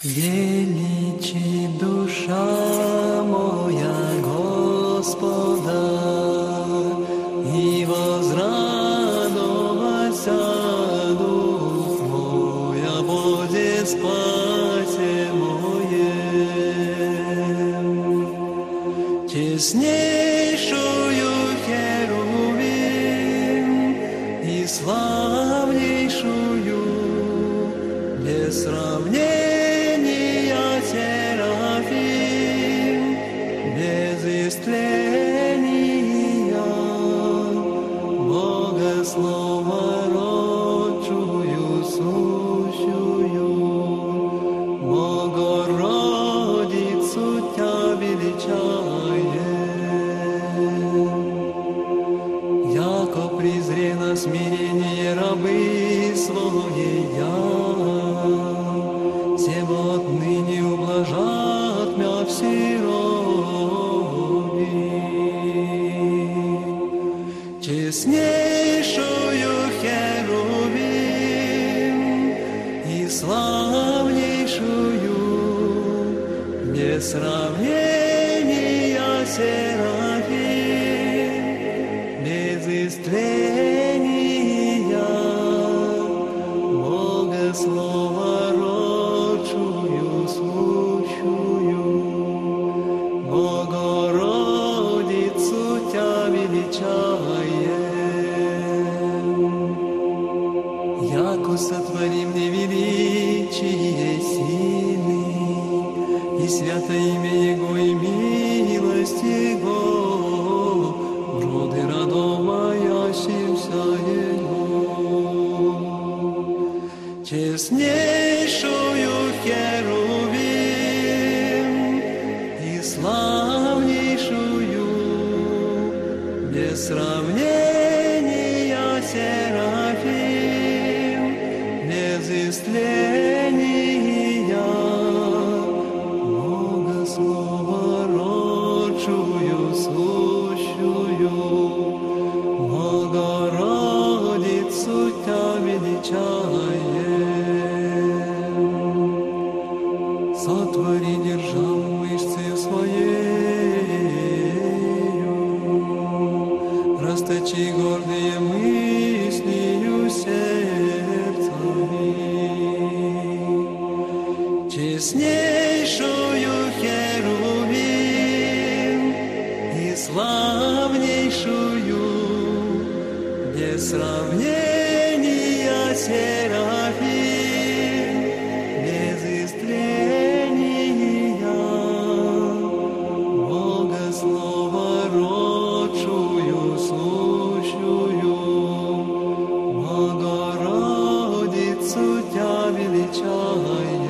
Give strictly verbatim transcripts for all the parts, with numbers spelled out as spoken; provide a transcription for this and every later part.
Величи душа моя Господа, и возрадовался дух мой о Боге спасе моем. Честнейшую херувим и славнейшую без сравнения Серафим, без истления, Бога Слова родчую, сущую, Богородицу Тя величаем. Яко презре на смирение рабы своей я, всем отныне ублажат мя в сироби. Честнейшую херувим и славнейшую без сравнения Серафим, без истления Бога Слова сущую, Богородицу Тя величаем. Яко сотворим невеличие сильны, и свято имя Его, и милость Его, роды родов моящимся Его. Честнейшую херувим и славнейшую без сравнения Серафим, без истления Бога Слова родчую, сущую, Богородицу Тя величаем. Сотвори державу мышцы своею, расточи гордые мыслью сердцами. Честнейшую херувим и славнейшую без сравнения Серафим, без истления Бога Слова родчую, сущую, Богородицу Тя величаем.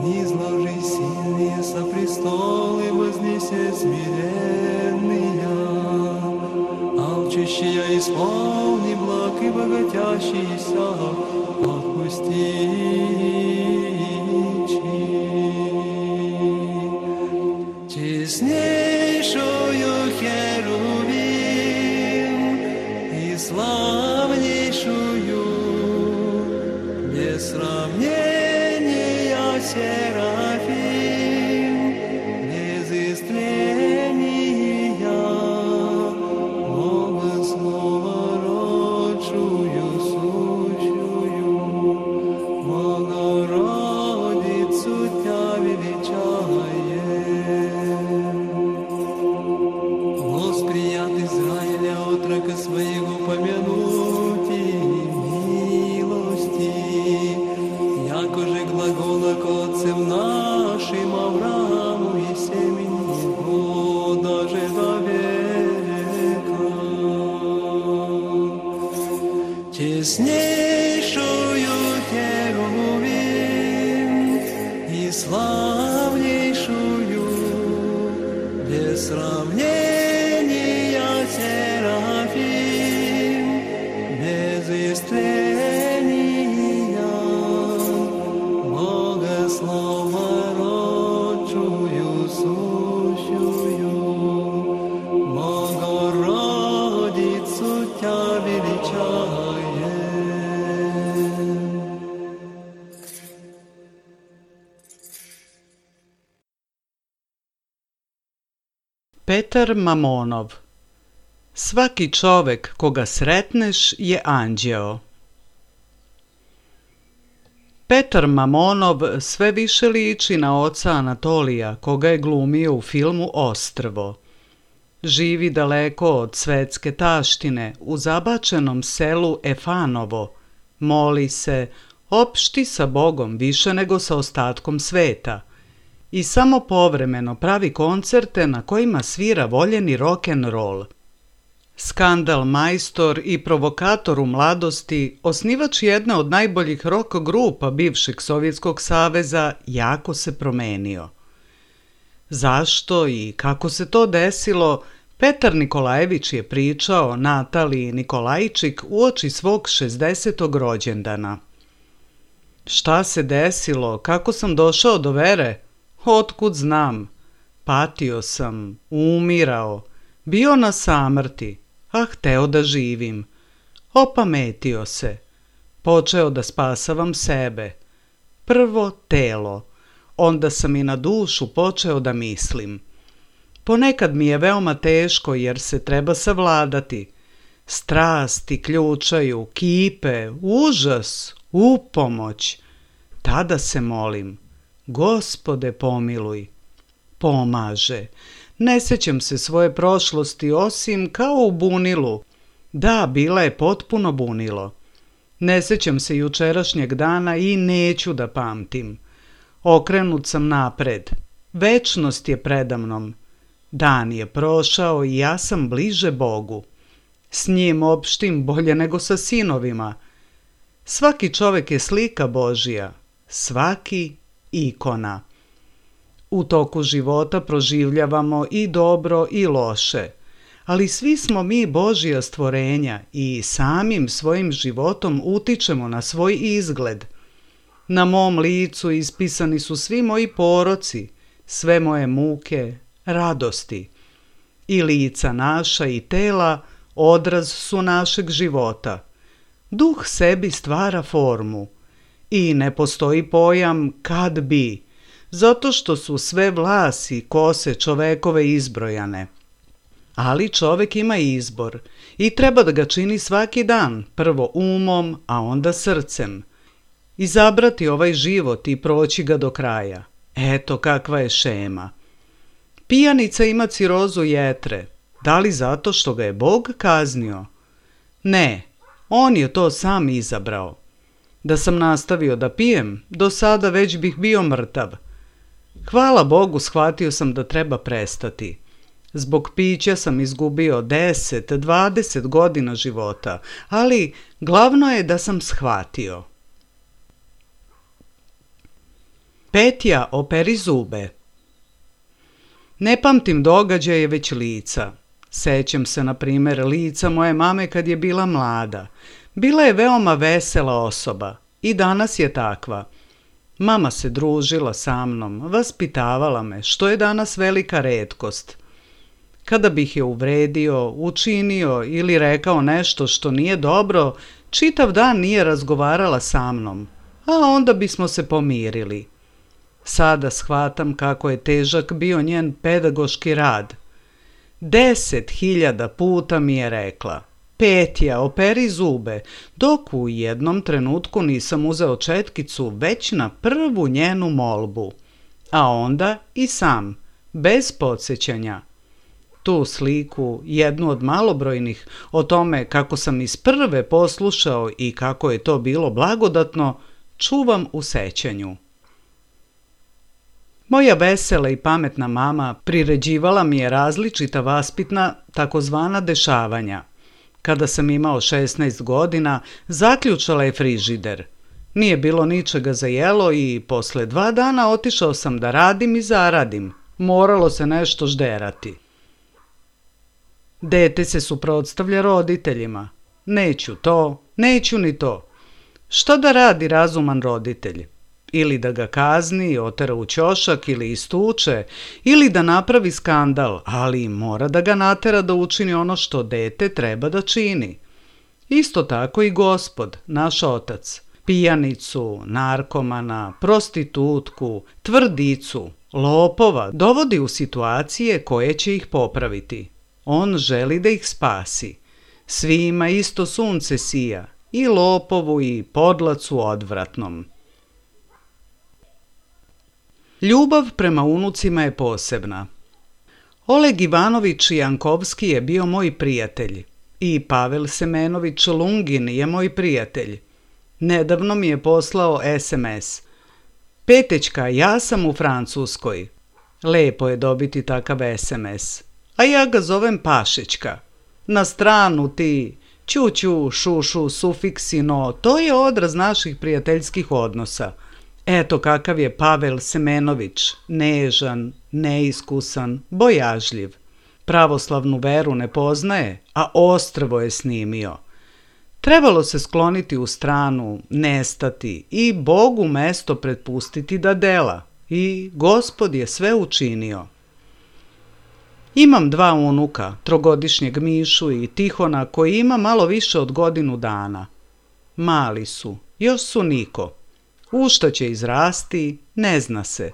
Низложи сильные со престолы, вознесе смиренные, алчущие исполни благ и богатящийся отпусти. Честнейшую херувим и славнейшую без сравнения Серафим, без истления Бога Слова родчую, сущую, Богородицу Тя величаем. Восприят Израиля отрока своего помянуть и милости, яко же глагола к отцам нашим Аврааму и семени его даже до века. Честнейшую херувим и славнейшую без сравнения Серафим, без истления Бога Слова родчую, сущую, Богородицу Тя величаем. Petar Mamonov. Svaki čovek koga sretneš je anđeo. Petar Mamonov sve više liči na oca Anatolija, koga je glumio u filmu Ostrvo. Živi daleko od svetske taštine, u zabačenom selu Efanovo. Moli se, opšti sa Bogom više nego sa ostatkom sveta. I samo povremeno pravi koncerte na kojima svira voljeni rock'n'roll. Skandal majstor i provokator u mladosti, osnivač jedne od najboljih rock grupa bivšeg Sovjetskog saveza, jako se promenio. Zašto i kako se to desilo, Petar Nikolajević je pričao Nataliji Nikolajčik uoči svog šezdesetog rođendana. Šta se desilo, kako sam došao do vere? Otkud znam? Patio sam, umirao, bio na samrti, a hteo da živim. Opametio se, počeo da spasavam sebe. Prvo telo, onda sam i na dušu počeo da mislim. Ponekad mi je veoma teško jer se treba savladati. Strasti ključaju, kipe, užas, upomoć. Tada se molim, Gospode pomiluj. Pomaže. Ne sećam se svoje prošlosti osim kao u bunilu. Da, bila je potpuno bunilo. Ne sećam se jučerašnjeg dana i neću da pamtim. Okrenut sam napred. Večnost je predamnom. Dan je prošao i ja sam bliže Bogu. S njim opštim bolje nego sa sinovima. Svaki čovek je slika Božija, svaki ikona. U toku života proživljavamo i dobro i loše, ali svi smo mi Božja stvorenja i samim svojim životom utičemo na svoj izgled. Na mom licu ispisani su svi moji poroci, sve moje muke, radosti. I lica naša i tela odraz su našeg života. Duh sebi stvara formu i ne postoji pojam kad bi, zato što su sve vlasi kose čovekove izbrojane. Ali čovek ima izbor i treba da ga čini svaki dan, prvo umom, a onda srcem. Izabrati ovaj život i proći ga do kraja. Eto kakva je šema. Pijanica ima cirozu jetre. Da li zato što ga je Bog kaznio? Ne, on je to sam izabrao. Da sam nastavio da pijem, do sada već bih bio mrtav. Hvala Bogu, shvatio sam da treba prestati. Zbog pića sam izgubio deset, dvadeset godina života, ali glavno je da sam shvatio. Petja operi zube. Ne pamtim događaje, već lica. Sećam se, na primjer, lica moje mame kad je bila mlada. Bila je veoma vesela osoba i danas je takva. Mama se družila sa mnom, vaspitavala me, što je danas velika retkost. Kada bih je uvredio, učinio ili rekao nešto što nije dobro, čitav dan nije razgovarala sa mnom, a onda bismo se pomirili. Sada shvatam kako je težak bio njen pedagoški rad. Deset hiljada puta mi je rekla: Petja, operi zube, dok u jednom trenutku nisam uzeo četkicu već na prvu njenu molbu. A onda i sam, bez podsjećanja. Tu sliku, jednu od malobrojnih, o tome kako sam iz prve poslušao i kako je to bilo blagodatno, čuvam u sećanju. Moja vesela i pametna mama priređivala mi je različita vaspitna, takozvana dešavanja. Kada sam imao šesnaest godina, zaključala je frižider. Nije bilo ničega za jelo i posle dva dana otišao sam da radim i zaradim. Moralo se nešto žderati. Dete se suprotstavlja roditeljima. Neću to, neću ni to. Šta da radi razuman roditelj? Ili da ga kazni, otera u ćošak ili istuče, ili da napravi skandal, ali mora da ga natera da učini ono što dete treba da čini. Isto tako i Gospod, naš Otac. Pijanicu, narkomana, prostitutku, tvrdicu, lopova dovodi u situacije koje će ih popraviti. On želi da ih spasi. Svima isto sunce sija, i lopovu i podlacu odvratnom. Ljubav prema unucima je posebna. Oleg Ivanović Jankovski je bio moj prijatelj i Pavel Semenović Lungin je moj prijatelj. Nedavno mi je poslao es em es. Petećka, ja sam u Francuskoj. Lepo je dobiti takav es em es. A ja ga zovem Pašićka. Na stranu ti, ćuću, šušu, sufiksi, no, to je odraz naših prijateljskih odnosa. Eto kakav je Pavel Semenović, nežan, neiskusan, bojažljiv. Pravoslavnu veru ne poznaje, a ostrvo je snimio. Trebalo se skloniti u stranu, nestati i Bogu mesto prepustiti da dela. I Gospod je sve učinio. Imam dva unuka, trogodišnjeg Mišu i Tihona, koji ima malo više od godinu dana. Mali su, još su niko. U šta će izrasti, ne zna se.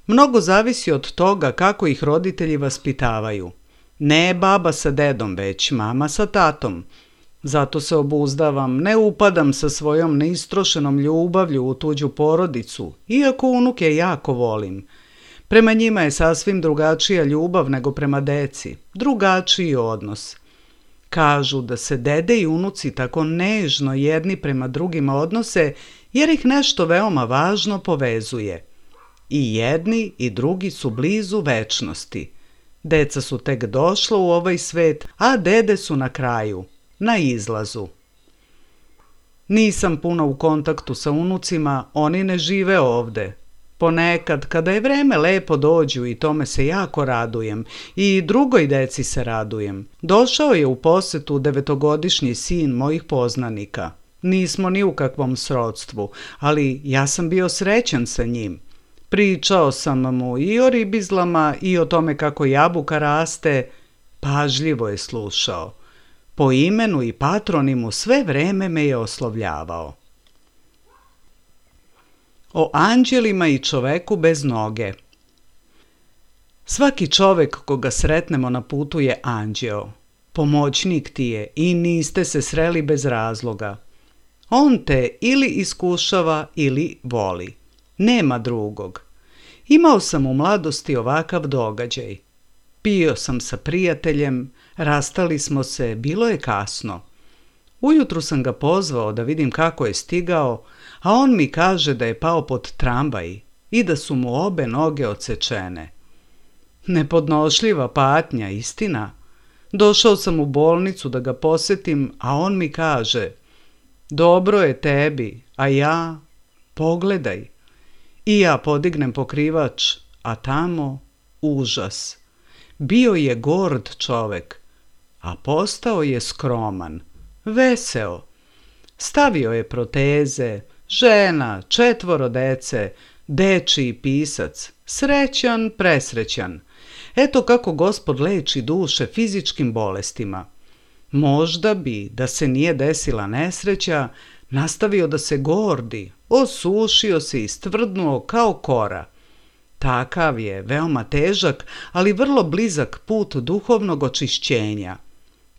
Mnogo zavisi od toga kako ih roditelji vaspitavaju. Ne baba sa dedom, već mama sa tatom. Zato se obuzdavam, ne upadam sa svojom neistrošenom ljubavlju u tuđu porodicu, iako unuke jako volim. Prema njima je sasvim drugačija ljubav nego prema deci, drugačiji odnos. Kažu da se dede i unuci tako nežno jedni prema drugima odnose jer ih nešto veoma važno povezuje. I jedni i drugi su blizu večnosti. Deca su tek došla u ovaj svet, a dede su na kraju, na izlazu. Nisam puno u kontaktu sa unucima, oni ne žive ovde. Ponekad, kada je vreme, lepo dođu i tome se jako radujem. I drugoj deci se radujem. Došao je u posetu devetogodišnji sin mojih poznanika. Nismo ni u kakvom srodstvu, ali ja sam bio srećan sa njim. Pričao sam mu i o ribizlama i o tome kako jabuka raste. Pažljivo je slušao. Po imenu i patronimu sve vreme me je oslovljavao. O anđelima i čoveku bez noge. Svaki čovek koga sretnemo na putu je anđeo. Pomoćnik ti je i niste se sreli bez razloga. On te ili iskušava ili voli. Nema drugog. Imao sam u mladosti ovakav događaj. Pio sam sa prijateljem, rastali smo se, bilo je kasno. Ujutru sam ga pozvao da vidim kako je stigao, a on mi kaže da je pao pod tramvaj i da su mu obe noge odsečene. Nepodnošljiva patnja, istina. Došao sam u bolnicu da ga posetim, a on mi kaže: dobro je tebi, a ja, pogledaj. I ja podignem pokrivač, a tamo užas. Bio je gord čovek, a postao je skroman, veseo. Stavio je proteze, žena, četvoro dece, dečiji pisac, srećan, presrećan. Eto kako Gospod leči duše fizičkim bolestima. Možda bi, da se nije desila nesreća, nastavio da se gordi, osušio se i stvrdnuo kao kora. Takav je veoma težak, ali vrlo blizak put duhovnog očišćenja.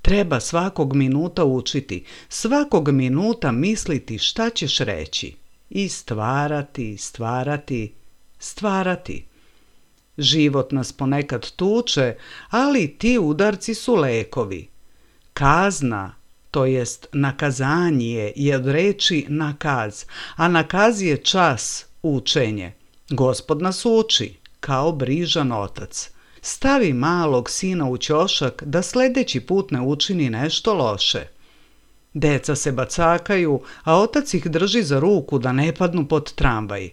Treba svakog minuta učiti, svakog minuta misliti šta ćeš reći i stvarati, stvarati, stvarati. Život nas ponekad tuče, ali ti udarci su lekovi. Kazna, to jest nakazanje, je od reči nakaz, a nakaz je čas, učenje. Gospod nas uči, kao brižan otac. Stavi malog sina u ćošak da sledeći put ne učini nešto loše. Deca se bacakaju, a otac ih drži za ruku da ne padnu pod tramvaj.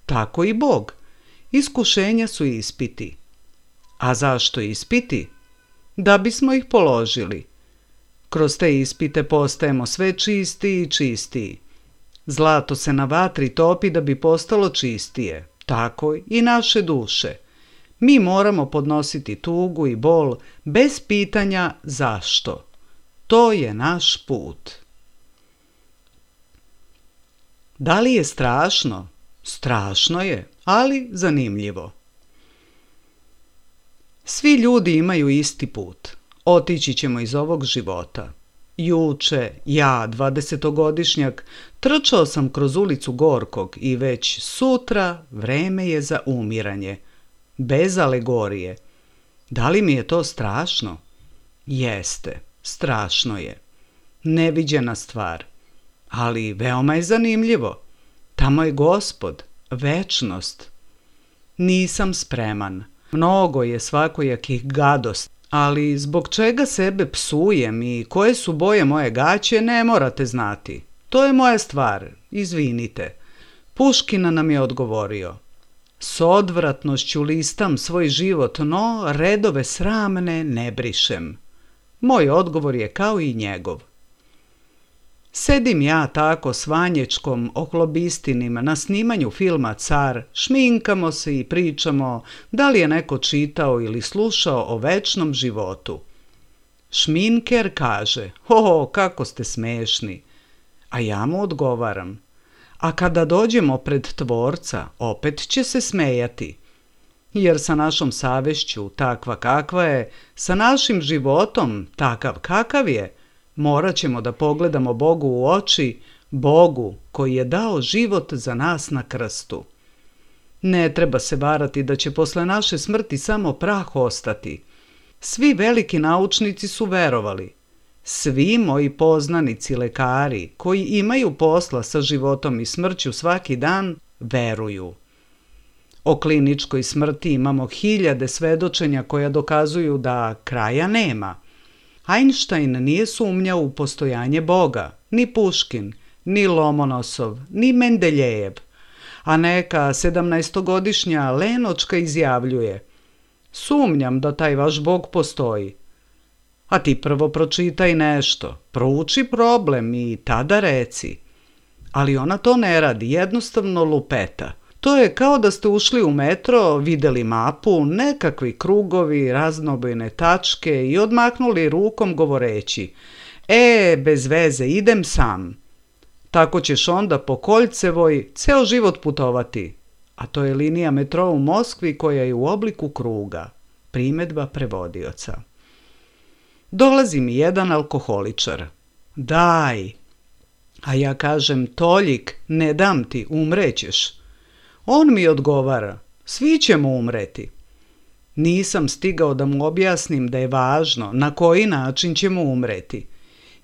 Tako i Bog. Iskušenja su ispiti. A zašto ispiti? Da bismo ih položili. Kroz te ispite postajemo sve čistiji i čistiji. Zlato se na vatri topi da bi postalo čistije, tako i naše duše. Mi moramo podnositi tugu i bol bez pitanja zašto. To je naš put. Da li je strašno? Strašno je, ali zanimljivo. Svi ljudi imaju isti put. Otići ćemo iz ovog života. Juče, ja, dvadesetogodišnjak, trčao sam kroz ulicu Gorkog i već sutra vreme je za umiranje. Bez alegorije. Da li mi je to strašno? Jeste, strašno je. Neviđena stvar. Ali veoma je zanimljivo. Tamo je Gospod, večnost. Nisam spreman. Mnogo je svakojakih gadosti, ali zbog čega sebe psujem i koje su boje moje gaće ne morate znati. To je moja stvar, izvinite. Puškina nam je odgovorio. S odvratnošću listam svoj život, no redove sramne ne brišem. Moj odgovor je kao i njegov. Sedim ja tako s Vanječkom Ohlobistinim na snimanju filma Car, šminkamo se i pričamo da li je neko čitao ili slušao o večnom životu. Šminker kaže, o, kako ste smešni, a ja mu odgovaram, a kada dođemo pred Tvorca, opet će se smejati. Jer sa našom savešću, takva kakva je, sa našim životom, takav kakav je, morat ćemo da pogledamo Bogu u oči, Bogu koji je dao život za nas na krstu. Ne treba se varati da će posle naše smrti samo prah ostati. Svi veliki naučnici su verovali. Svi moji poznanici lekari koji imaju posla sa životom i smrću svaki dan, veruju. O kliničkoj smrti imamo hiljade svedočenja koja dokazuju da kraja nema. Einstein nije sumnjao u postojanje Boga, ni Puškin, ni Lomonosov, ni Mendeljejev, a neka sedamnaestogodišnja Lenočka izjavljuje: sumnjam da taj vaš Bog postoji. A ti prvo pročitaj nešto, prouči problem i tada reci. Ali ona to ne radi, jednostavno lupeta. To je kao da ste ušli u metro, videli mapu, nekakvi krugovi, raznobojne tačke i odmaknuli rukom govoreći: e, bez veze, idem sam. Tako ćeš onda po Koljcevoj ceo život putovati. A to je linija metroa u Moskvi koja je u obliku kruga. Primedba prevodioca. Dolazi mi jedan alkoholičar. Daj. A ja kažem: Toljik, ne dam ti, umrećeš. On mi odgovara: svi ćemo umreti. Nisam stigao da mu objasnim da je važno na koji način ćemo umreti.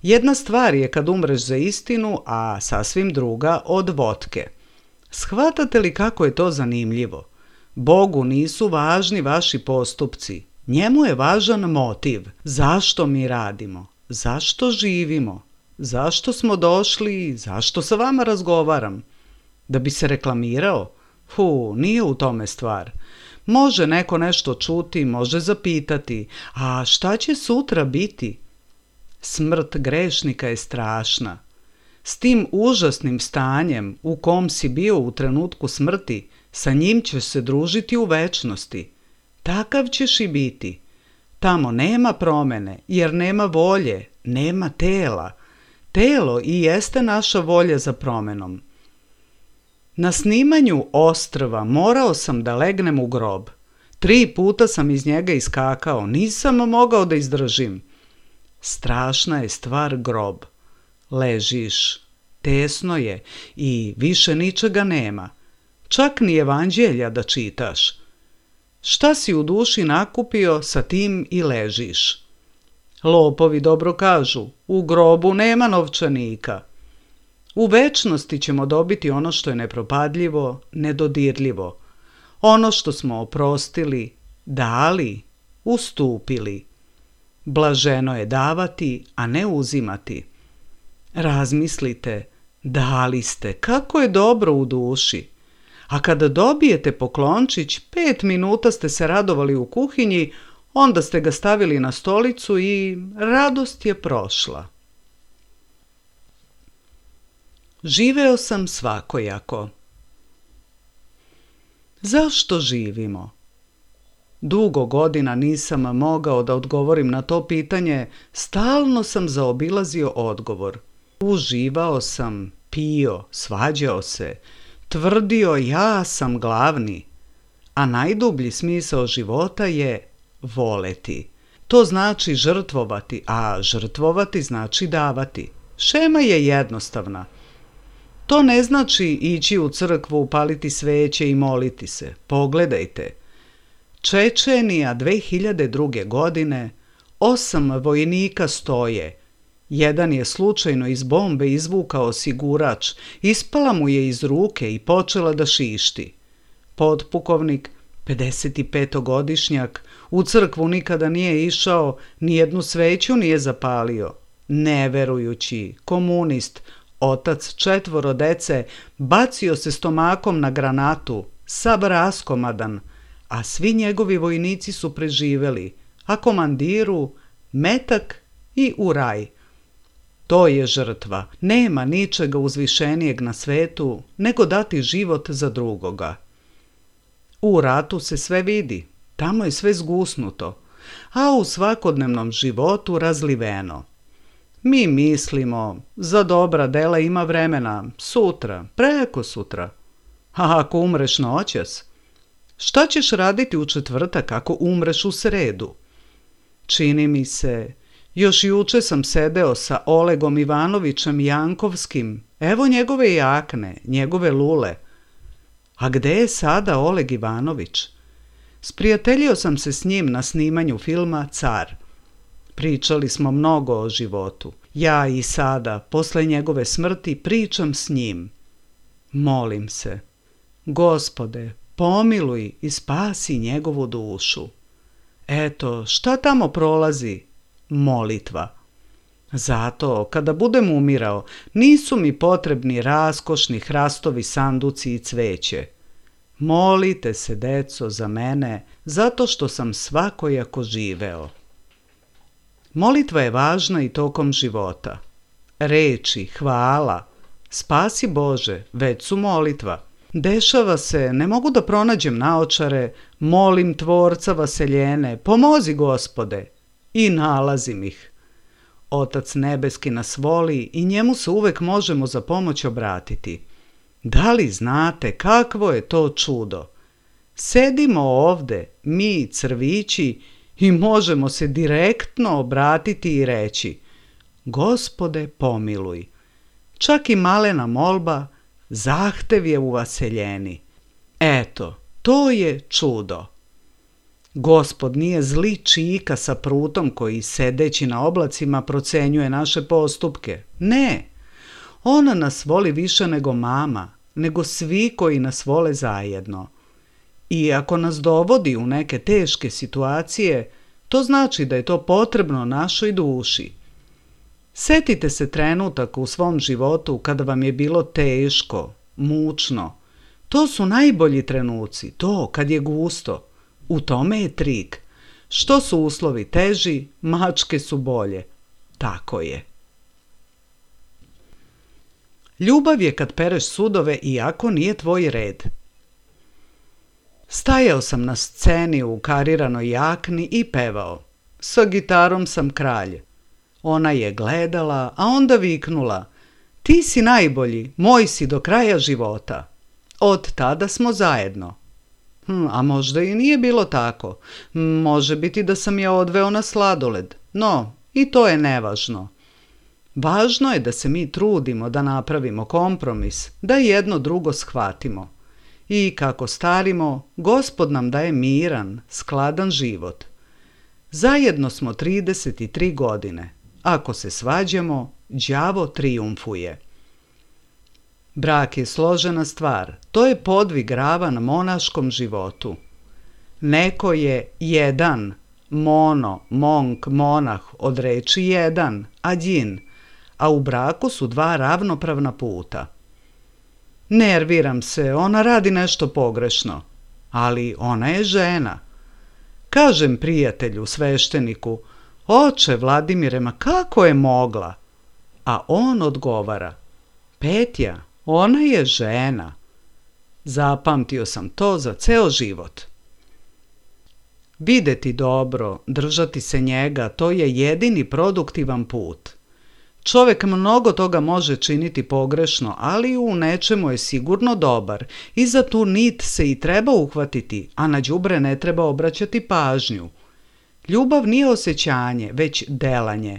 Jedna stvar je kad umreš za istinu, a sasvim druga od vodke. Shvatate li kako je to zanimljivo? Bogu nisu važni vaši postupci. Njemu je važan motiv. Zašto mi radimo? Zašto živimo? Zašto smo došli? Zašto sa vama razgovaram? Da bi se reklamirao? Fu, nije u tome stvar. Može neko nešto čuti, može zapitati, a šta će sutra biti? Smrt grešnika je strašna. S tim užasnim stanjem u kom si bio u trenutku smrti, sa njim ćeš se družiti u večnosti. Takav ćeš i biti. Tamo nema promene, jer nema volje, nema tela. Telo i jeste naša volja za promenom. Na snimanju Ostrva morao sam da legnem u grob. Tri puta sam iz njega iskakao, nisam mogao da izdržim. Strašna je stvar grob. Ležiš, tesno je i više ničega nema. Čak ni evanđelja da čitaš. Šta si u duši nakupio, sa tim i ležiš. Lopovi dobro kažu, u grobu nema novčanika. U večnosti ćemo dobiti ono što je nepropadljivo, nedodirljivo. Ono što smo oprostili, dali, ustupili. Blaženo je davati, a ne uzimati. Razmislite, dali ste, kako je dobro u duši. A kada dobijete poklončić, pet minuta ste se radovali u kuhinji, onda ste ga stavili na stolicu i radost je prošla. Živeo sam svakojako. Zašto živimo? Dugo godina nisam mogao da odgovorim na to pitanje, stalno sam zaobilazio odgovor. Uživao sam, pio, svađao se, tvrdio ja sam glavni, a najdublji smisao života je voleti. To znači žrtvovati, a žrtvovati znači davati. Šema je jednostavna. To ne znači ići u crkvu, upaliti sveće i moliti se. Pogledajte. Čečenija dve hiljade druge. godine, osam vojnika stoje. Jedan je slučajno iz bombe izvukao osigurač, ispala mu je iz ruke i počela da šišti. Potpukovnik, pedesetipetogodišnjak, u crkvu nikada nije išao, nijednu sveću nije zapalio. Neverujući, komunist, otac četvoro dece, bacio se stomakom na granatu, sav raskomadan, a svi njegovi vojnici su preživeli, a komandiru metak i u raj. To je žrtva. Nema ničega uzvišenijeg na svetu nego dati život za drugoga. U ratu se sve vidi, tamo je sve zgusnuto, a u svakodnevnom životu razliveno. Mi mislimo, za dobra dela ima vremena, sutra, preko sutra. A ako umreš noćas, šta ćeš raditi u četvrtak ako umreš u sredu? Čini mi se, još juče sam sedeo sa Olegom Ivanovićem Jankovskim, evo njegove jakne, njegove lule. A gde je sada Oleg Ivanović? Sprijateljio sam se s njim na snimanju filma Car. Pričali smo mnogo o životu. Ja i sada, posle njegove smrti, pričam s njim. Molim se, Gospode, pomiluj i spasi njegovu dušu. Eto, šta tamo prolazi? Molitva. Zato, kada budem umirao, nisu mi potrebni raskošni hrastovi sanduci i cveće. Molite se, deco, za mene, zato što sam svakojako živeo. Molitva je važna i tokom života. Reči, hvala, spasi Bože, već su molitva. Dešava se, ne mogu da pronađem naočare, molim Tvorca vaseljene, pomozi Gospode, i nalazim ih. Otac nebeski nas voli i njemu se uvek možemo za pomoć obratiti. Da li znate kakvo je to čudo? Sedimo ovde, mi crvići, i možemo se direktno obratiti i reći: Gospode, pomiluj. Čak i malena molba, zahtev je uvaseljeni. Eto, to je čudo. Gospod nije zli čika sa prutom koji sedeći na oblacima procenjuje naše postupke. Ne, on nas voli više nego mama, nego svi koji nas vole zajedno. I ako nas dovodi u neke teške situacije, to znači da je to potrebno našoj duši. Setite se trenutaka u svom životu kada vam je bilo teško, mučno. To su najbolji trenuci, to kad je gusto. U tome je trik. Što su uslovi teži, mačke su bolje. Tako je. Ljubav je kad pereš sudove iako nije tvoj red. Stajao sam na sceni u kariranoj jakni i pevao. Sa gitarom sam kralj. Ona je gledala, a onda viknula: Ti si najbolji, moj si do kraja života. Od tada smo zajedno. Hm, a možda i nije bilo tako. Može biti da sam je odveo na sladoled. No, i to je nevažno. Važno je da se mi trudimo da napravimo kompromis, da jedno drugo shvatimo. I kako starimo, Gospod nam daje miran, skladan život. Zajedno smo trideset tri godine. Ako se svađamo, đavo trijumfuje. Brak je složena stvar, to je podvig ravan monaškom životu. Neko je jedan, mono, monk, monah, od reči jedan, adjin, a u braku su dva ravnopravna puta. Nerviram se, ona radi nešto pogrešno, ali ona je žena. Kažem prijatelju, svešteniku: Oče Vladimire, ma kako je mogla? A on odgovara: Petja, ona je žena. Zapamtio sam to za ceo život. Videti dobro, držati se njega, to je jedini produktivan put. Čovjek mnogo toga može činiti pogrešno, ali u nečemu je sigurno dobar i za tu nit se i treba uhvatiti, a na đubre ne treba obraćati pažnju. Ljubav nije osjećanje, već delanje.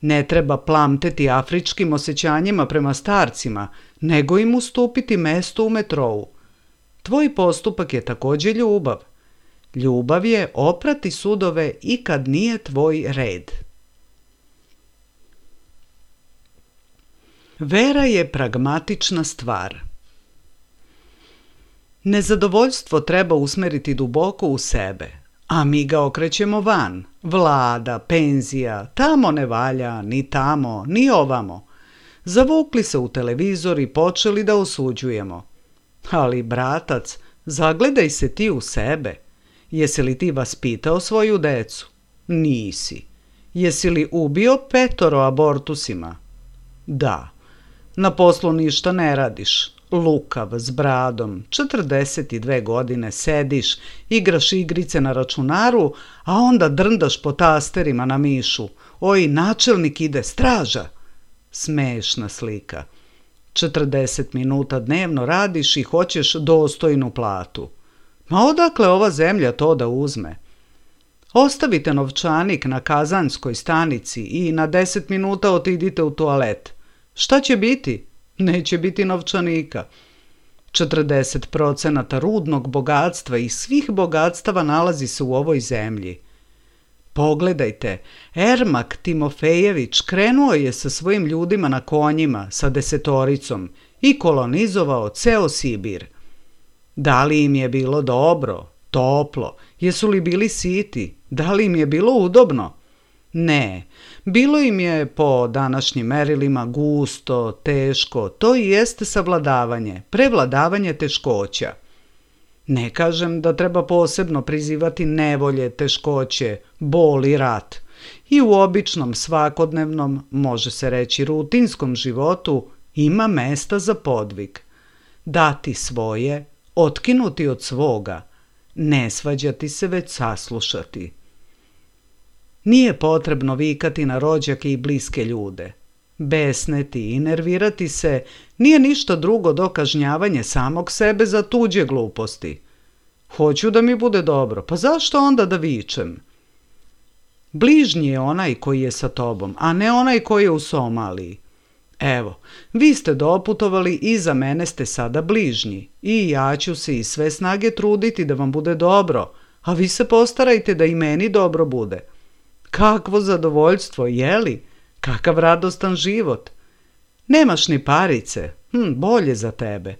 Ne treba plamteti afričkim osjećanjima prema starcima, nego im ustupiti mesto u metrou. Tvoj postupak je također ljubav. Ljubav je oprati sudove i kad nije tvoj red. Vera je pragmatična stvar. Nezadovoljstvo treba usmeriti duboko u sebe, a mi ga okrećemo van. Vlada, penzija, tamo ne valja, ni tamo, ni ovamo. Zavukli se u televizor i počeli da osuđujemo. Ali, bratac, zagledaj se ti u sebe. Jesi li ti vaspitao svoju decu? Nisi. Jesi li ubio petoro abortusima? Da. Na poslu ništa ne radiš. Lukav, s bradom, četrdeset dve godine sediš, igraš igrice na računaru, a onda drndaš po tasterima na mišu. Oj, načelnik ide, straža! Smešna slika. četrdeset minuta dnevno radiš i hoćeš dostojnu platu. Ma odakle ova zemlja to da uzme? Ostavite novčanik na kazanskoj stanici i na deset minuta otidite u toalet. Šta će biti? Neće biti novčanika. četrdeset procenata rudnog bogatstva i svih bogatstava nalazi se u ovoj zemlji. Pogledajte, Ermak Timofejević krenuo je sa svojim ljudima na konjima, sa desetoricom i kolonizovao ceo Sibir. Da li im je bilo dobro, toplo, jesu li bili siti, da li im je bilo udobno? Ne, bilo im je po današnjim merilima gusto, teško, to i jeste savladavanje, prevladavanje teškoća. Ne kažem da treba posebno prizivati nevolje, teškoće, bol i rat. I u običnom, svakodnevnom, može se reći rutinskom životu, ima mesta za podvig. Dati svoje, otkinuti od svoga, ne svađati se već saslušati. Nije potrebno vikati na rođake i bliske ljude. Besneti i nervirati se nije ništa drugo do kažnjavanje samog sebe za tuđe gluposti. Hoću da mi bude dobro, pa zašto onda da vičem? Bližnji je onaj koji je sa tobom, a ne onaj koji je u Somaliji. Evo, vi ste doputovali i za mene ste sada bližnji i ja ću se iz sve snage truditi da vam bude dobro, a vi se postarajte da i meni dobro bude. Kakvo zadovoljstvo, jeli? Kakav radostan život. Nemaš ni parice, hm, bolje za tebe.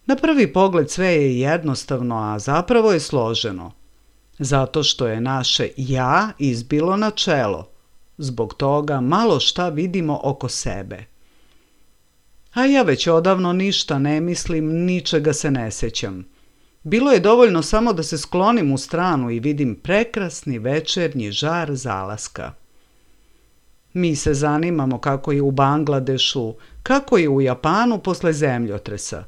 Na prvi pogled sve je jednostavno, a zapravo je složeno. Zato što je naše ja izbilo na čelo. Zbog toga malo šta vidimo oko sebe. A ja već odavno ništa ne mislim, ničega se ne sećam. Bilo je dovoljno samo da se sklonim u stranu i vidim prekrasni večernji žar zalaska. Mi se zanimamo kako je u Bangladešu, kako je u Japanu posle zemljotresa.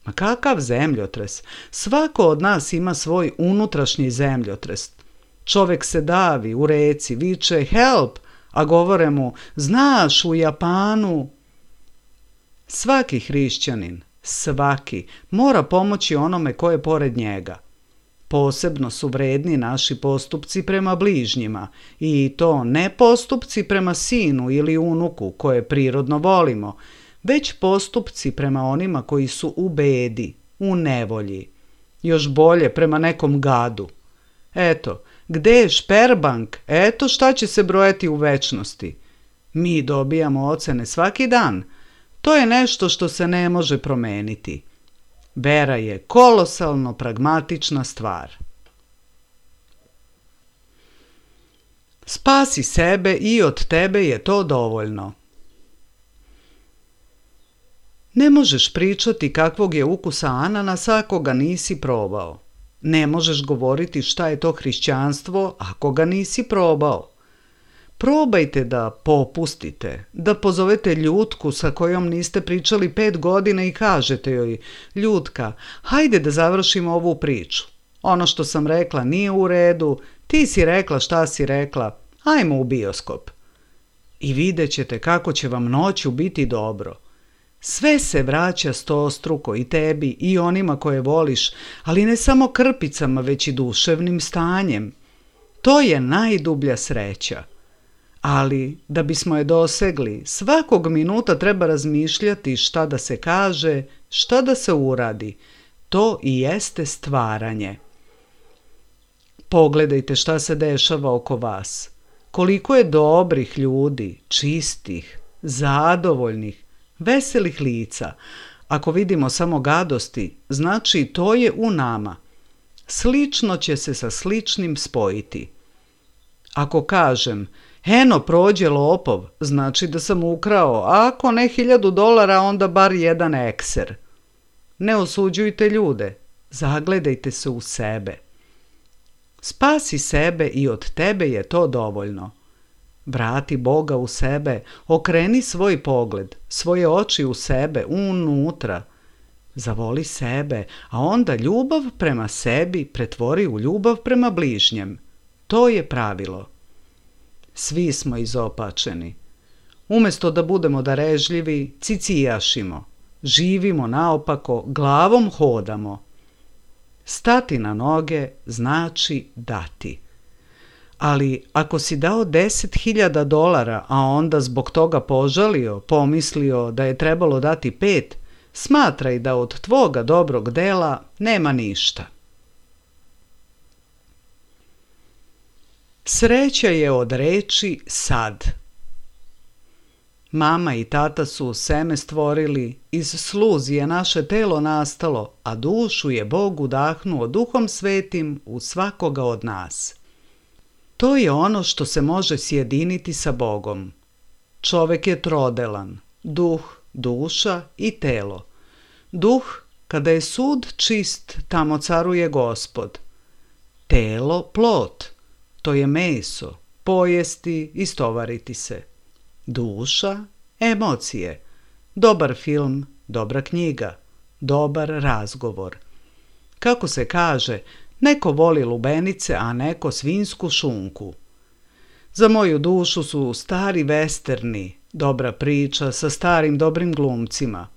Ma kakav zemljotres? Svako od nas ima svoj unutrašnji zemljotres. Čovek se davi u reci, viče help, a govore mu znaš u Japanu. Svaki hrišćanin, svaki, mora pomoći onome ko je pored njega. Posebno su vredni naši postupci prema bližnjima i to ne postupci prema sinu ili unuku koje prirodno volimo, već postupci prema onima koji su u bedi, u nevolji. Još bolje prema nekom gadu. Eto, gde je šperbank, eto šta će se brojati u večnosti. Mi dobijamo ocene svaki dan. To je nešto što se ne može promeniti. Vera je kolosalno pragmatična stvar. Spasi sebe i od tebe je to dovoljno. Ne možeš pričati kakvog je ukusa ananasa ako ga nisi probao. Ne možeš govoriti šta je to hrišćanstvo ako ga nisi probao. Probajte da popustite, da pozovete Ljutku sa kojom niste pričali pet godina i kažete joj, Ljutka, hajde da završimo ovu priču. Ono što sam rekla nije u redu, ti si rekla šta si rekla, ajmo u bioskop. I vidjet ćete kako će vam noću biti dobro. Sve se vraća stostruko i tebi i onima koje voliš, ali ne samo krpicama, već i duševnim stanjem. To je najdublja sreća. Ali, da bismo je dosegli, svakog minuta treba razmišljati šta da se kaže, šta da se uradi. To i jeste stvaranje. Pogledajte šta se dešava oko vas. Koliko je dobrih ljudi, čistih, zadovoljnih, veselih lica. Ako vidimo samo gadosti, znači to je u nama. Slično će se sa sličnim spojiti. Ako kažem, eno prođe lopov, znači da sam ukrao, a ako ne hiljadu dolara, onda bar jedan ekser. Ne osuđujte ljude, zagledajte se u sebe. Spasi sebe i od tebe je to dovoljno. Vrati Boga u sebe, okreni svoj pogled, svoje oči u sebe, unutra. Zavoli sebe, a onda ljubav prema sebi pretvori u ljubav prema bližnjem. To je pravilo. Svi smo izopačeni. Umjesto da budemo darežljivi, cicijašimo. Živimo naopako, glavom hodamo. Stati na noge znači dati. Ali ako si dao deset hiljada dolara, a onda zbog toga požalio, pomislio da je trebalo dati pet, smatraj da od tvoga dobrog dela nema ništa. Sreća je od reči sad. Mama i tata su seme stvorili, iz sluzi je naše telo nastalo, a dušu je Bog udahnuo Duhom Svetim u svakoga od nas. To je ono što se može sjediniti sa Bogom. Čovek je trodelan, duh, duša i telo. Duh, kada je sud čist, tamo caruje Gospod. Telo, plot, to je meso, pojesti, istovariti se. Duša, emocije, dobar film, dobra knjiga, dobar razgovor. Kako se kaže, neko voli lubenice, a neko svinjsku šunku. Za moju dušu su stari vesterni, dobra priča sa starim dobrim glumcima.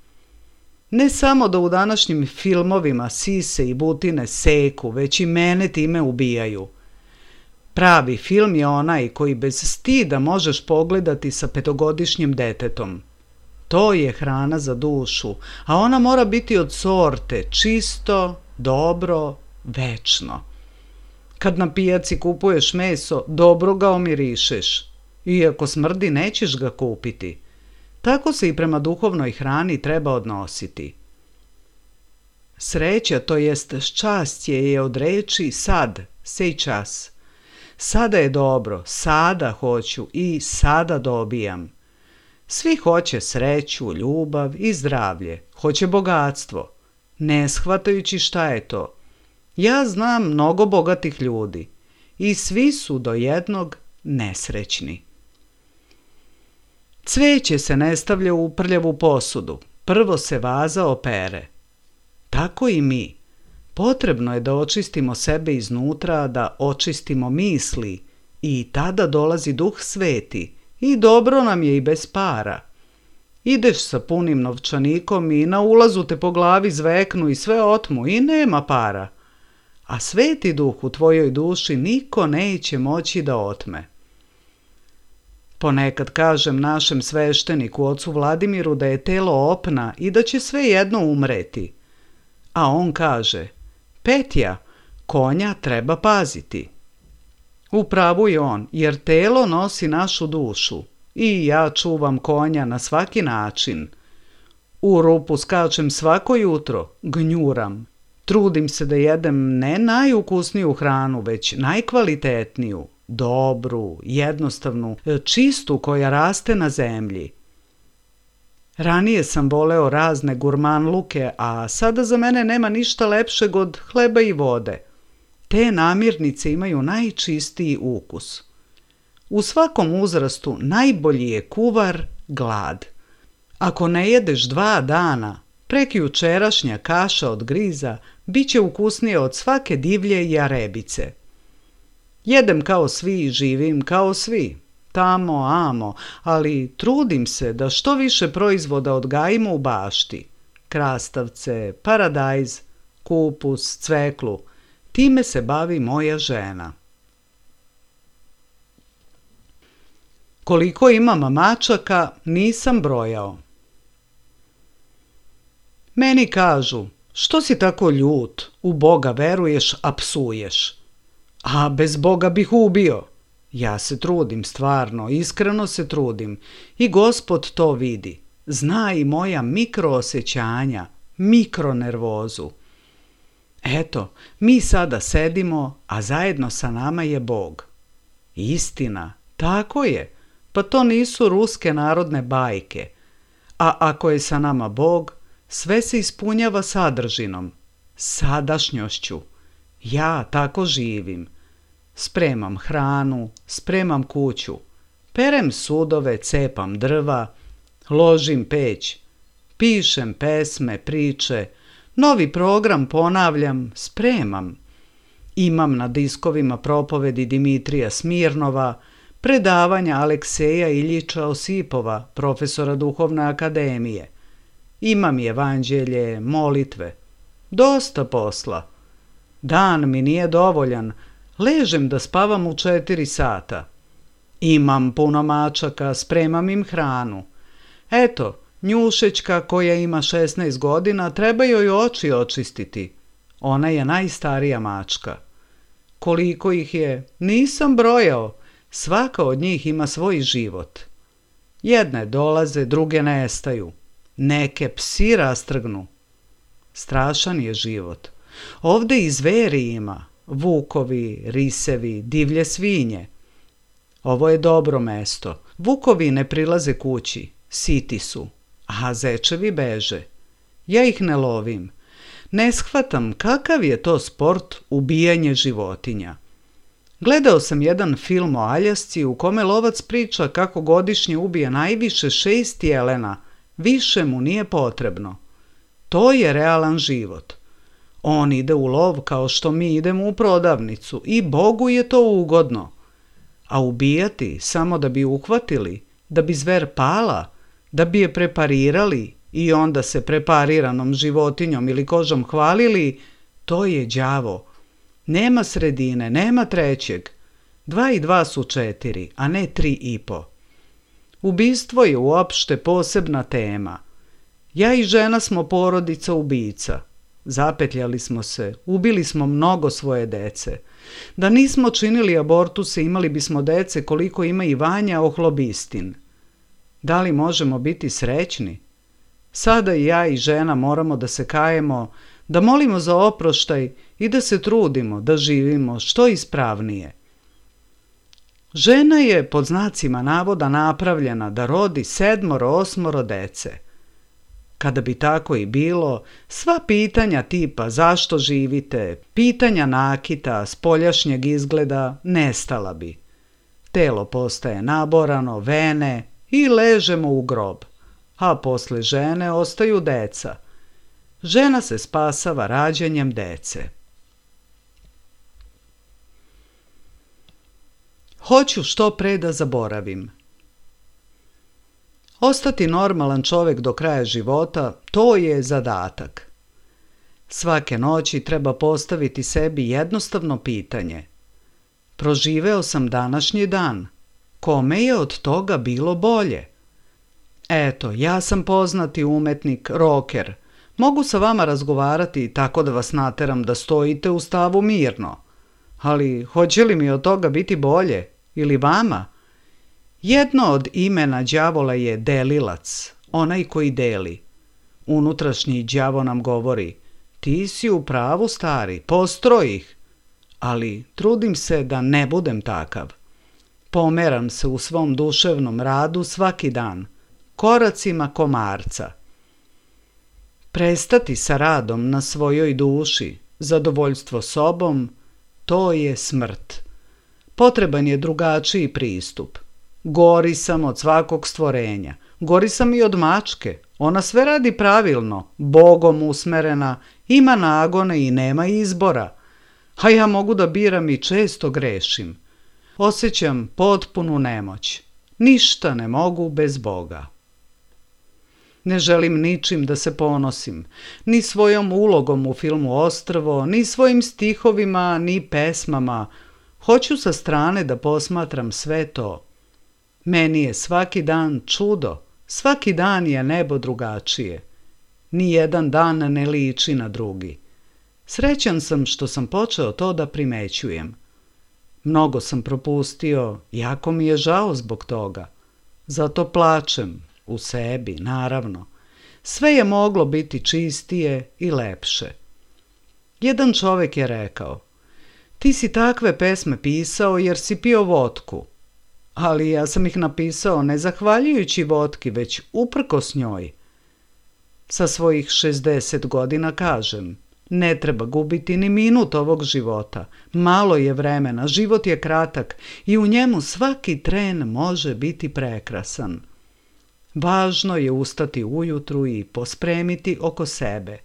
Ne samo da u današnjim filmovima sise i butine seku, već i mene time ubijaju. Pravi film je onaj koji bez stida možeš pogledati sa petogodišnjim detetom. To je hrana za dušu, a ona mora biti od sorte, čisto, dobro, večno. Kad na pijaci kupuješ meso, dobro ga omirišeš. Iako smrdi, nećeš ga kupiti. Tako se i prema duhovnoj hrani treba odnositi. Sreća, to jest ščastje, je od reči sad, sej čas. Sada je dobro, sada hoću i sada dobijam. Svi hoće sreću, ljubav i zdravlje, hoće bogatstvo, ne shvatajući šta je to. Ja znam mnogo bogatih ljudi i svi su do jednog nesrećni. Cveće se ne stavlja u prljavu posudu, prvo se vaza opere. Tako i mi. Potrebno je da očistimo sebe iznutra, da očistimo misli i tada dolazi Duh Sveti i dobro nam je i bez para. Ideš sa punim novčanikom i na ulazu te po glavi zveknu i sve otmu i nema para. A Sveti Duh u tvojoj duši niko neće moći da otme. Ponekad kažem našem svešteniku, ocu Vladimiru, da je telo opna i da će svejedno umreti. A on kaže, Petja, konja treba paziti. U pravu je on, jer telo nosi našu dušu i ja čuvam konja na svaki način. U rupu skačem svako jutro, gnjuram. Trudim se da jedem ne najukusniju hranu, već najkvalitetniju, dobru, jednostavnu, čistu koja raste na zemlji. Ranije sam voleo razne gurmanluke, a sada za mene nema ništa lepšeg od hleba i vode. Te namirnice imaju najčistiji ukus. U svakom uzrastu najbolji je kuvar glad. Ako ne jedeš dva dana, prekjučerašnja kaša od griza bit će ukusnije od svake divlje jarebice. Jedem kao svi i živim kao svi. Tamo, amo, ali trudim se da što više proizvoda odgajimo u bašti. Krastavce, paradajz, kupus, cveklu. Time se bavi moja žena. Koliko imam mačaka, nisam brojao. Meni kažu, što si tako ljut, u Boga veruješ, a psuješ. A bez Boga bih ubio. Ja se trudim, stvarno, iskreno se trudim. I Gospod to vidi. Zna i moja mikroosjećanja, mikronervozu. Eto, mi sada sedimo, a zajedno sa nama je Bog. Istina, tako je. Pa to nisu ruske narodne bajke. A ako je sa nama Bog, sve se ispunjava sadržinom, sadašnjošću. Ja tako živim. Spremam hranu, spremam kuću, perem sudove, cepam drva, ložim peć, pišem pesme, priče, novi program ponavljam, spremam. Imam na diskovima propovedi Dimitrija Smirnova, predavanja Alekseja Iljiča Osipova, profesora Duhovne akademije. Imam i evanđelje, molitve. Dosta posla. Dan mi nije dovoljan, ležem da spavam u četiri sata. Imam puno mačaka, spremam im hranu. Eto, Njušećka koja ima šesnaest godina, treba joj oči očistiti. Ona je najstarija mačka. Koliko ih je, nisam brojao. Svaka od njih ima svoj život. Jedne dolaze, druge nestaju. Neke psi rastrgnu. Strašan je život. Ovde i zveri ima. Vukovi, risevi, divlje svinje. Ovo je dobro mesto. Vukovi ne prilaze kući. Siti su. A zečevi beže. Ja ih ne lovim. Ne shvatam kakav je to sport ubijanje životinja. Gledao sam jedan film o Aljasci u kome lovac priča kako godišnje ubije najviše šest jelena, više mu nije potrebno. To je realan život. On ide u lov kao što mi idemo u prodavnicu i Bogu je to ugodno. A ubijati samo da bi uhvatili, da bi zver pala, da bi je preparirali i onda se prepariranom životinjom ili kožom hvalili, to je đavo. Nema sredine, nema trećeg. Dva i dva su četiri, a ne tri i po. Ubistvo je uopšte posebna tema. Ja i žena smo porodica ubica. Zapetljali smo se, ubili smo mnogo svoje dece. Da nismo činili abortuse, imali bismo dece koliko ima i Vanja Ohlobistin. Da li možemo biti srećni? Sada i ja i žena moramo da se kajemo, da molimo za oproštaj i da se trudimo da živimo što ispravnije. Žena je pod znacima navoda napravljena da rodi sedmoro, osmoro dece. Kada bi tako i bilo, sva pitanja tipa zašto živite, pitanja nakita, spoljašnjeg izgleda, nestala bi. Telo postaje naborano, vene i ležemo u grob, a posle žene ostaju deca. Žena se spasava rađanjem dece. Hoću što pre da zaboravim. Ostati normalan čovjek do kraja života, to je zadatak. Svake noći treba postaviti sebi jednostavno pitanje. Proživeo sam današnji dan. Kome je od toga bilo bolje? Eto, ja sam poznati umetnik, roker. Mogu sa vama razgovarati tako da vas nateram da stojite u stavu mirno. Ali hoće li mi od toga biti bolje? Ili vama? Jedno od imena đavola je delilac, onaj koji deli. Unutrašnji đavo nam govori, ti si u pravu stari, postroj ih. Ali trudim se da ne budem takav. Pomeram se u svom duševnom radu svaki dan, koracima komarca. Prestati sa radom na svojoj duši, zadovoljstvo sobom, to je smrt. Potreban je drugačiji pristup. Gori sam od svakog stvorenja, gori sam i od mačke, ona sve radi pravilno, Bogom usmerena, ima nagone i nema izbora. A ja mogu da biram i često grešim. Osjećam potpunu nemoć. Ništa ne mogu bez Boga. Ne želim ničim da se ponosim, ni svojom ulogom u filmu Ostrvo, ni svojim stihovima, ni pesmama. Hoću sa strane da posmatram sve to. Meni je svaki dan čudo, svaki dan je nebo drugačije. Nijedan dan ne liči na drugi. Srećan sam što sam počeo to da primećujem. Mnogo sam propustio, jako mi je žao zbog toga. Zato plačem, u sebi, naravno. Sve je moglo biti čistije i lepše. Jedan čovjek je rekao, ti si takve pesme pisao jer si pio vodku. Ali ja sam ih napisao ne zahvaljujući vodki, već uprkos njoj. Sa svojih šezdeset godina kažem, ne treba gubiti ni minut ovog života. Malo je vremena, život je kratak i u njemu svaki tren može biti prekrasan. Važno je ustati ujutru i pospremiti oko sebe.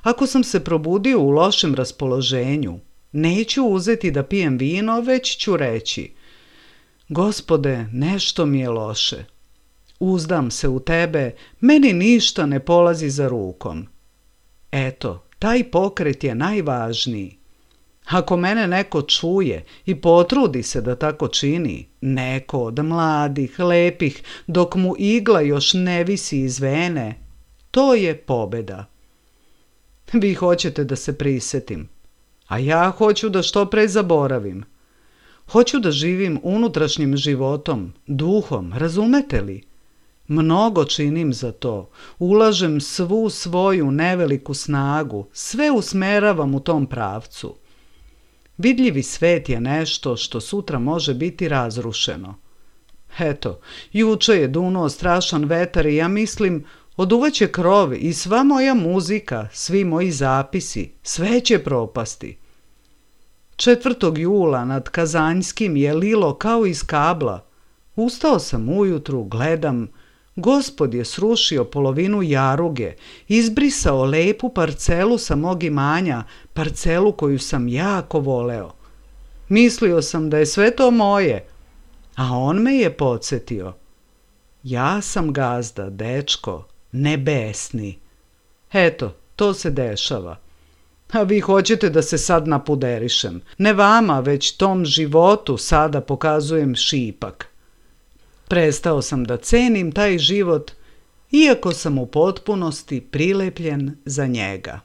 Ako sam se probudio u lošem raspoloženju, neću uzeti da pijem vino, već ću reći, Gospode, nešto mi je loše. Uzdam se u tebe, meni ništa ne polazi za rukom. Eto, taj pokret je najvažniji. Ako mene neko čuje i potrudi se da tako čini, neko od mladih, lepih, dok mu igla još ne visi iz vene, to je pobjeda. Vi hoćete da se prisetim, a ja hoću da što pre zaboravim. Hoću da živim unutrašnjim životom, duhom, razumete li? Mnogo činim za to, ulažem svu svoju neveliku snagu, sve usmeravam u tom pravcu. Vidljivi svet je nešto što sutra može biti razrušeno. Eto, juče je dunuo strašan vetar i ja mislim, oduvaće krov i sva moja muzika, svi moji zapisi, sve će propasti. Četvrtog jula nad Kazanjskim je lilo kao iz kabla. Ustao sam ujutru, gledam, Gospod je srušio polovinu jaruge, izbrisao lepu parcelu sa mog imanja, parcelu koju sam jako voleo. Mislio sam da je sve to moje, a on me je podsjetio. Ja sam gazda, dečko, nebesni. Eto, to se dešava. A vi hoćete da se sad napuderišem. Ne vama, već tom životu sada pokazujem šipak. Prestao sam da cenim taj život, iako sam u potpunosti prilepljen za njega.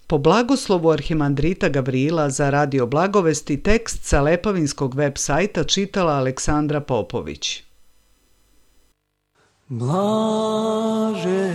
Po blagoslovu arhimandrita Gavrila za Radio Blagovesti tekst sa Lepavinskog web sajta čitala Aleksandra Popović. Blaže